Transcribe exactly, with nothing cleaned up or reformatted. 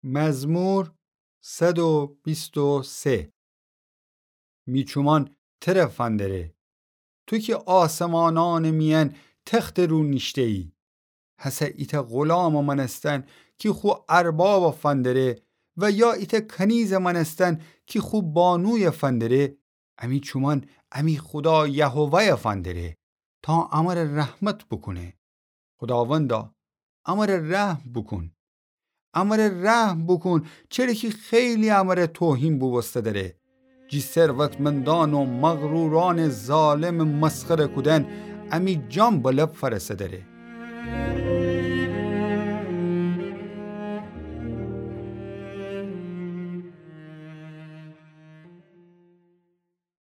مزمور صد و بیست و سه. می چومان تره فندره، تو کی آسمانأنٚ میأن تختٚ رو نیشته‌یی. هسه ایتأ غلامٚ مأنستن کی خو اربابَ فندره و یا ایتأ کنیزٚ مأنستن کی خو بانویَ فندره، امی چومان امی خودا یهوه‌یَ فندره تا امره رحمت بوکونه. خوداوندا، امره رحم بوکون. امره رحم بوکون، چره کی خیلی امره توهین بوبوسته دره. جی ثروتمندأن و مغرورأنٚ ظالمٚ مسخره کودن امی جان به لب فأرسه دره.